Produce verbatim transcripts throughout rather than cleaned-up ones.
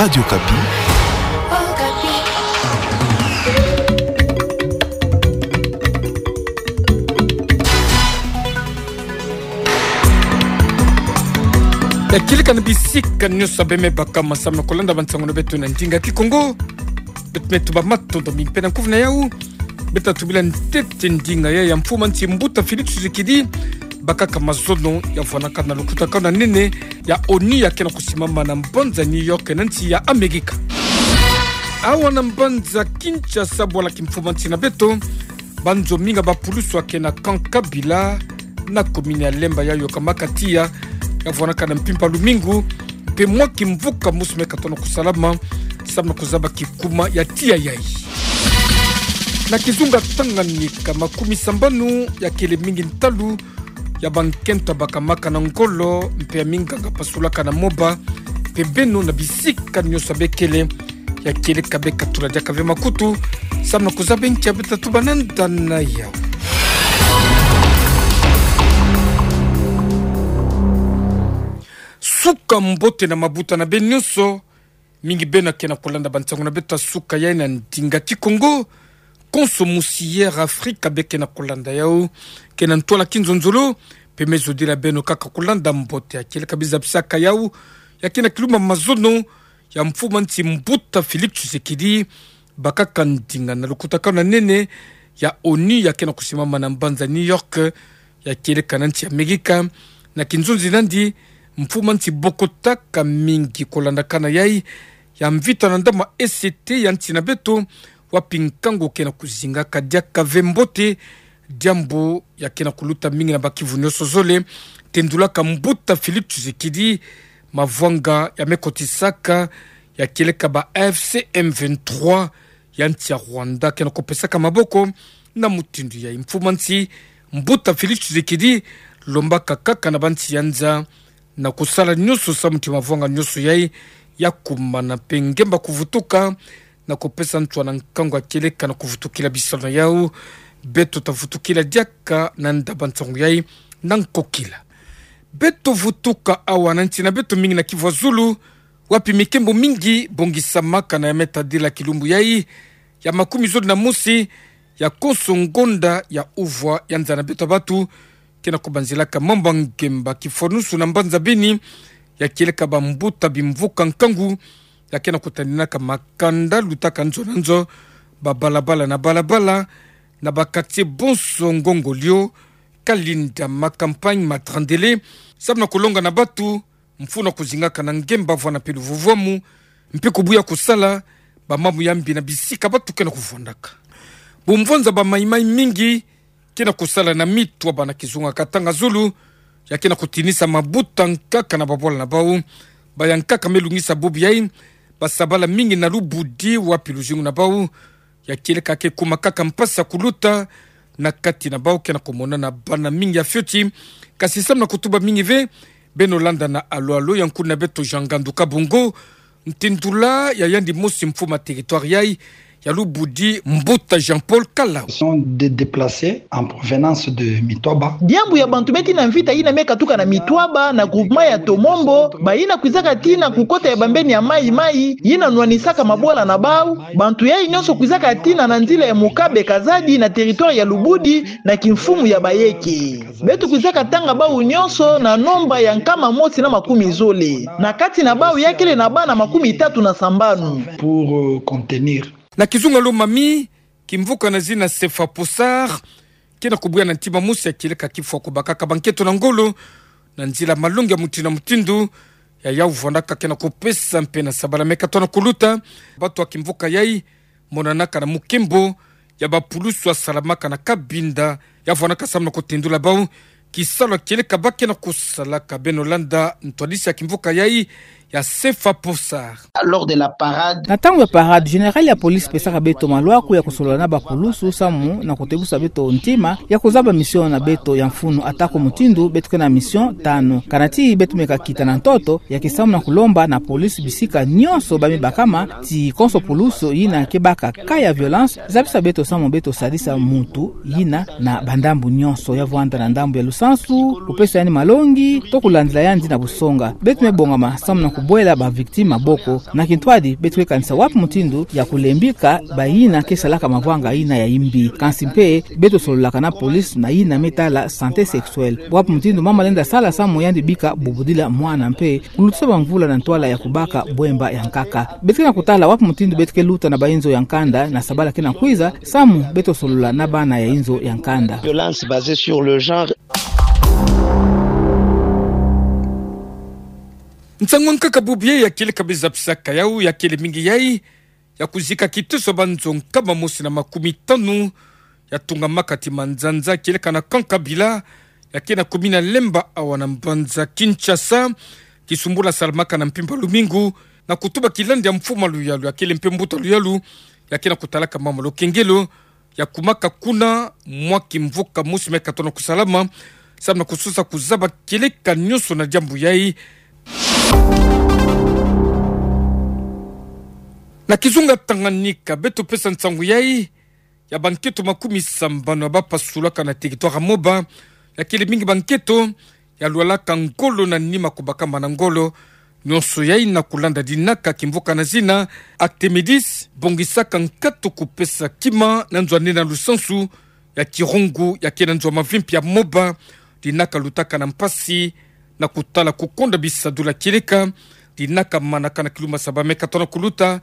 Radio Okapi. Ya kieleka na bisika nyonso beme baka masamu na kolanda bansango na beto na ndinga Kikongo. Beto me tuba matondo mingi mpe na nkufi na yau. Beto tubila ntete ndinga ya, ya mfumu a nsi Mbuta Félix Tshisekedi bakaka mazono ya vwanakana na lukutakanu na nene ya ONU ya ke na kusimama na mbanza New York na nsi ya Amerika. Awa na mbanza Kinshasa, bwala ki mfumu a nsi na beto, banzo mingi ya bapulusu ya ke na camp Kabila na commune ya Lemba ya yokamaka tiya ya vwanakana mpimpa lumingu, mpe mwa kimvuka mosi me katona kusalama samu na kuzaba kikuma ya tiya yai. Na kizunga Tanganyika, makumi sambanu ya kele mingi ntalu ya bankento bakamaka na ngolo mpe ya minganga pasulaka na moba mpe beno na bisika nyonso bekele. Ya kieleka beka tula diaka ve makutu samu na kuzaba nkia beto tatuba na nda na yau. Suka mbote na mabuta na beno nyonso. Mingi beno ke na kolanda bansango na beto ya suka yai na ndinga Kikongo. Konso musi Air Africa be ke na kolanda yau, ke na ntwala kinzonzolo, mpe me zodila beno kaka kolanda mbote. Ya kieleka biza bisaka yau, ya ke na kilumba mazono ya mfumu a nsi Mbuta Félix Tshisekedi bakaka ndinga na lukutakanu na nene ya ONU ya ke na kusimama na mbanza New York, ya kieleka na nsi Amerika. Na kinzonzi nandi, mfumu a nsi bokotaka mingi kolandakana yai ya mvita na ndambu ya E C T ya nsi na beto, wapi nkangu ke na kuzingaka diaka ve mbote, diambu ya ke na kuluta mingi na bakivu nyonso zole, tendulaka Mbuta Félix Tshisekedi mavwanga ya me kotisaka ya kieleka ba F C M vingt-trois ya nsi ya Rwanda ke na kopesaka maboko. Na mutindu yai, mfumu a nsi Mbuta Félix Tshisekedi lombaka kaka na bansi ya nza na kusala nyonso samu ti mavwanga nyonso yai ya kumana mpe ngemba kuvutuka, na kopesa ntwala nkangu ya kieleka na kuvutukila bisalu na yau. Beto ta vutukila diaka na nda bansango yai na nkokila. Beto vutuka awa na nsi na beto, mingi na Kivu ya zulu, wapi mikembo mingi bongisamaka na ya me tadila kilumbu yai ya makumi zole na mosi ya konso ngonda ya uvwa ya nza na beto ya batu, ke na kubanzilaka mambu ya ngemba kifwanusu na mbanza Beni, ya kieleka bambuta bimvuka nkangu ya ke na kutaninaka makanda lutaka nzo na nzo, ba balabala na balabala, na ba quartier bonso, Ngongolio, Kalinda, ma Campagne, Matrandele, samu na kulonga na batu mfunu ya kuzingaka na ngemba vwana mpe luvuvwamu, mpe kubuya kusala bamambu ya mbi na bisika batu ke na kuvwandaka. Bumvwanza ba maimai mingi ke na kusala na mitwaba na kizunga Katanga zulu, ya ke na kutinisa mabuta nkaka na babwala na bau. Baya nkaka me lungisa bubu yai, basabala mingi na Lubudi, wapi luzingu na bau ya kieleka ke kuma kaka mpasi ya kuluta. Na kati na bau ke na kumonana bana mingi ya fioti. Kasi samu na kutuba mingi ve, beno landa na alo alo ya nkuna beto Jean Ngandu Kabongo ntindula ya yandi mosi mfumu a territoire yai ya Lubudi, Mbuta Jean-Paul Kalau. Sont des déplacés en provenance de Mitwaba. Diambu ya bantu beti na mvita yina me katuka na Mitwaba na groupement ya Tomombo, bayina kwizaka tina ku kota ya bambeni ya Mai Mai, yina nwanisaka mabwala na bau. Bantu yai nyonso kwizaka tina na nzila ya Mukabe Kazadi na territoire ya Lubudi na kimfumu ya bayeke. Beto kwizaka tanga bau nyonso na nombre ya nkama mosi na makumi zole. Na kati na bau ya kele na bana makumi tatu na sambanu. Pour, euh, contenir. Na kizunga Lomami, kimvuka na zina Sefa Possard ke na kubuya na ntima mosi ya kieleka kifwa kubakaka bankento na ngolo na nzila malongi ya mutindu na mutindu. Ya yau vwandaka ke na kupesa mpe na sabala me katona kuluta. Batu ya kimvuka yai monanaka na mukembo ya bapulusu ya salamaka na Kabinda, ya vwandaka samu na kutindula bau kisalu ya kieleka ba ke na kusalaka. Beno landa ntwadisi ya kimvuka yai ya Sefa Possard. Lors de la parade. Na ntangu ya parade, général ya police pesaka beto malwaku ya kusolola na bapulusu samu na kutebusa beto ntima ya kuzaba mission na beto ya mfunu, atako mutindu beto ke na mission tanu. Kana ti beto me kakita na ntoto, ya ke samu na kulomba na police bisika nyonso ba me bakama ti konso pulusu yina ke baka cas ya violence, zabisa beto samu beto sadisa mutu yina na bandambu nyonso, ya vwanda na ndambu ya lusansu, kupesa yandi malongi, to kulandila yandi na busonga. Beto me bongama samu na bwela ba victime maboko. Na kintwadi, beto ke kanisa wapi mutindu ya kulembika bayina ke salaka mavanga yina ya imbi. Kansi mpe, beto sololaka na police na yina me tala santé sexuelle. Wapi mutindu mama lenda sala samu yandi bika bubudila mwana mpe kulutisa bamvula na ntwala ya kubaka bwemba ya nkaka. Beto ke na kutala wapi mutindu beto ke luta na bayi nzo ya nkanda na sabala ke na kwiza, samu beto solola na bana ya nzo ya nkanda. Violence basée sur le genre. Nsangu ya nkaka bubu ya kieleka biza pisaka yau ya kele mingi yai, ya kuzika kiteso banzo nkama mosi na makumi tanu, ya tungamaka ti manzanza kieleka na camp Kabila, ya ke na commune ya Lemba awa na mbanza Kinshasa, kisumbula salamaka na mpimpa lumingu, na kutuba kilandi ya mfuma luyalu, ya kele mpe mbuta luyalu, ya ke na kutalaka mama Lokengelo, ya kumaka kuna mwa kimvuka mosi me katono kusalama, samu na kusosa kuzaba kieleka nionso na diambu yai. Na kizunga Tanganyika, beto pesa nsangu yai, ya banketo makumi sambanu ya bapasulaka na territoire ya Moba, ya kele mingi banketo, ya lwalaka ngolo na nima kubakama na ngolo, nionso yai na kulanda dinaka kimvuka na zina Artemidis, bongisaka nkatu kupesa kima na nzo ya nene ya lusansu ya Kirungu, ya ke na nzo ya mavimpi ya Moba, dinaka lutaka na mpasi, na kutala kukonda bisadulu ya kieleka, dinaka manaka na kilumbu saba me katono kuluta.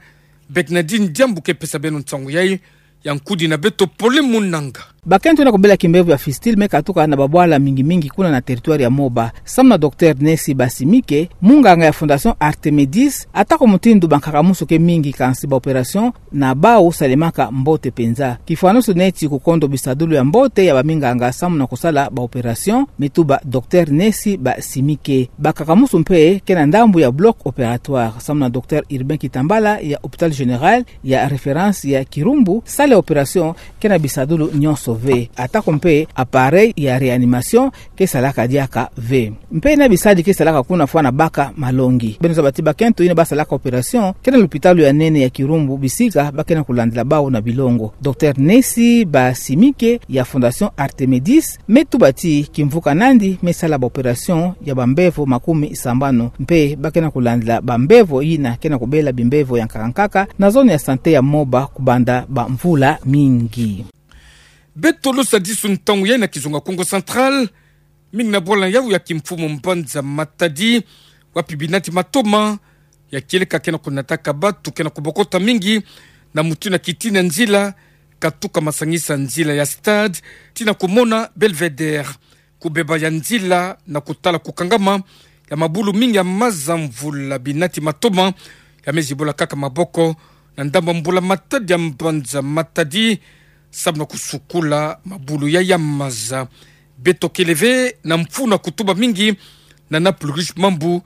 Bernadine Diambu ke pesa beno nsangu yai, ya nkudi na beto Pole Munanga. Bakento na kubela kimbevo ya fistule me katuka na babwala mingi mingi kuna na territoire ya Moba. Samu na docteur Nesi Basimike, munganga ya Fondation Artemidis, atako mutindu bankaka musu ke mingi kansi ba opération na bau salemaka mbote penza. Kifwanusu neti kukondo bisadulu ya mbote ya baminganga samu na kusala ba opération, me tuba docteur Nesi Basimike. Bankaka musu mpe ke na ndambu ya bloc opératoire, samu na docteur Urbain Kitambala ya hôpital général ya référence ya Kirumbu, salle ya opération ke na bisadulu nionso ve. Atako mpe appareil ya réanimation ke salaka diaka ve. Mpe na bisadi ke salaka kuna fwana baka malongi. Beno zaba ti bakento yina basalaka opération ke na lupitalu ya nene ya Kirumbu bisika ba ke na kulandila bau na bilongo. Docteur Nesi Basimike ya Fondation Artemidis me tuba ti kimvuka nandi me sala ba opération ya bambevo makumi sambanu. Mpe ba ke na kulandila bambevo yina ke na kubela bimbevo ya nkaka nkaka na zone ya santé ya Moba kubanda bamvula mingi. Beto losa disu ntangu yai na kizunga Kongo Central, mingi na bwala yau ya kimfumu mbanza Matadi, wapi binati matoma ya kieleka ke na kunataka batu ke na kubokota mingi, na mutu na kitini ya nzila, katuka masangisa nzila ya Stade tii na kumona Belvédère. Kubeba ya nzila na kutala kukangama ya mabulu mingi ya maza mvula binati matoma ya me zibula kaka maboko na ndambu ya mbula-matadi ya mbanza Matadi, samu na kusukula mabulu yai ya maza. Beto kele ve na mfunu ya kutuba mingi na Naples Riche Mambu,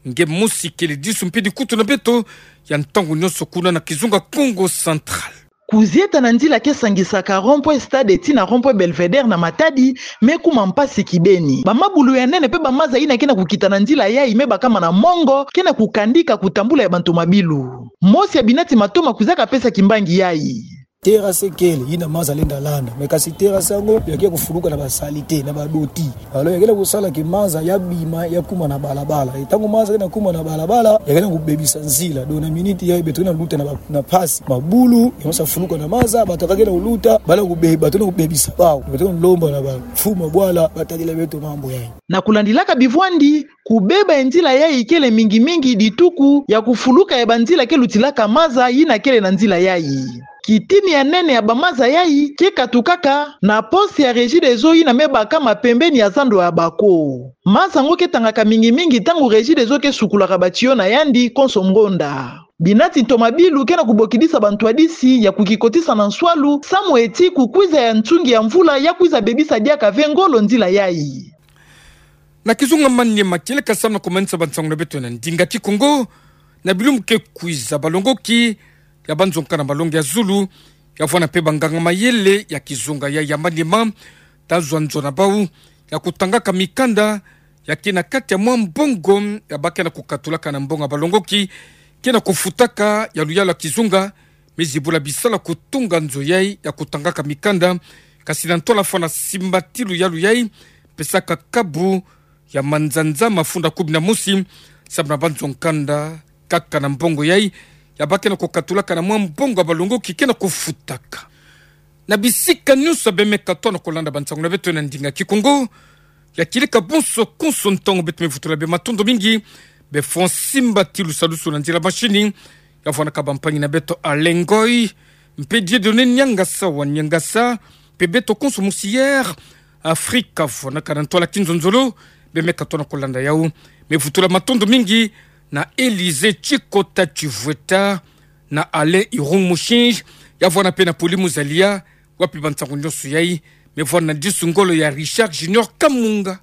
nge mosi kele disu mpe dikutu na beto ya ntangu nionso kuna na kizunga Kongo Central. Kuzieta na nzila ke sangisaka rond-point Stade tii na rond-point Belvédère na Matadi me kuma mpasi kibeni. Bamabulu ya nene mpe bamaza yina ke na kukita na nzila yai me bakama na mongo ke na kukandika kutambula ya bantomabilu. Mosi ya binati matoma kwiza kapesa kimbangi yai. Terrasse kele, yina maza lenda landa. Mais kasi terrasse yango, ya ke kufuluka na ba saleté, na ba dotti. Alors, ya ke na kusala que maza ya bima, ya kuma na balabala. Et ntangu maza ke na kuma na balabala, ya ke na kubebisa nzila. Donc, na minute yai beto ke na luta na ba, na mpasi. Mabulu, ya masa fuluka na maza, bato ke na kuluta, bala kube, bato na kubebisa bau. Beto na lomba na ba mfumu ya bwala, batadila beto mambu yai. Na kulandilaka bivwandi, kubeba ya nzila yai kele mingi-mingi dituku ya kufuluka ya banzila ke lutilaka maza yina kele na nzila yai. Kitini ya nene ya bamaza yai ke katukaka na poste ya Regideso yina me bakama pembeni ya zando ya bako. Maza yango ke tangaka mingi-mingi ntangu Regideso ke sukulaka ba tuyau na yandi konso ngonda. Binati ntomabilu ke na kubokidisa bantwadisi ya kukikotisa na nswalu, samu eti kukwiza ya nsungi ya mvula ya kwiza bebisa diaka ve ngolo nzila yai. Na kizunga Maniema, kieleka samu na kumanisa bansangu na beto na ndinga Kikongo, na bilumbu ke kwiza balongoki ya banzonga na malongi ya zulu, ya vwanda mpe banganga-mayele ya kizunga yai ya Maniema, tazwa nzo na bau ya kutangaka mikanda ya ke na kati ya mwa mbongo ya ba ke na kukatulaka na mbongo ya balongoki ke na kufutaka ya luyalu ya kizunga, me zibula bisalu ya kutunga nzo yai ya kutangaka mikanda, kasi na ntwala fwana simbatilu ya luyalu yai, pesaka kabu ya manzanza mafunda kumi na mosi, Samu na banzo nkanda kaka na mbongo yai, ya bake na kukatulaka na mwa mbongo ya balongoki ke na kufutaka. Na bisika nyonso bemeka tona kulanda bansangu na beto na ndinga Kikongo, ya kileka bonso konso ntangu beto mevutula bie. Matondo mingi. Bie fwa nsimba ti lusalusu na nzila mashini, ya vwanaka bampangi na beto Alengoi, mpe Dieudonné Niangasa wa Niangasa, mpe beto konso mosi Air Afrique, vwanaka na ntwala kinzonzolo, bemeka tona kulanda yau. Mevutula matondo mingi na Élysée Tshikota Tshivweta, na Alain Irung Mushinji, ya vwana mpe na Poli Muzalia, wapi bansangu nyonso yai. Mevwana na disu ngolo ya Richard Junior Kamunga.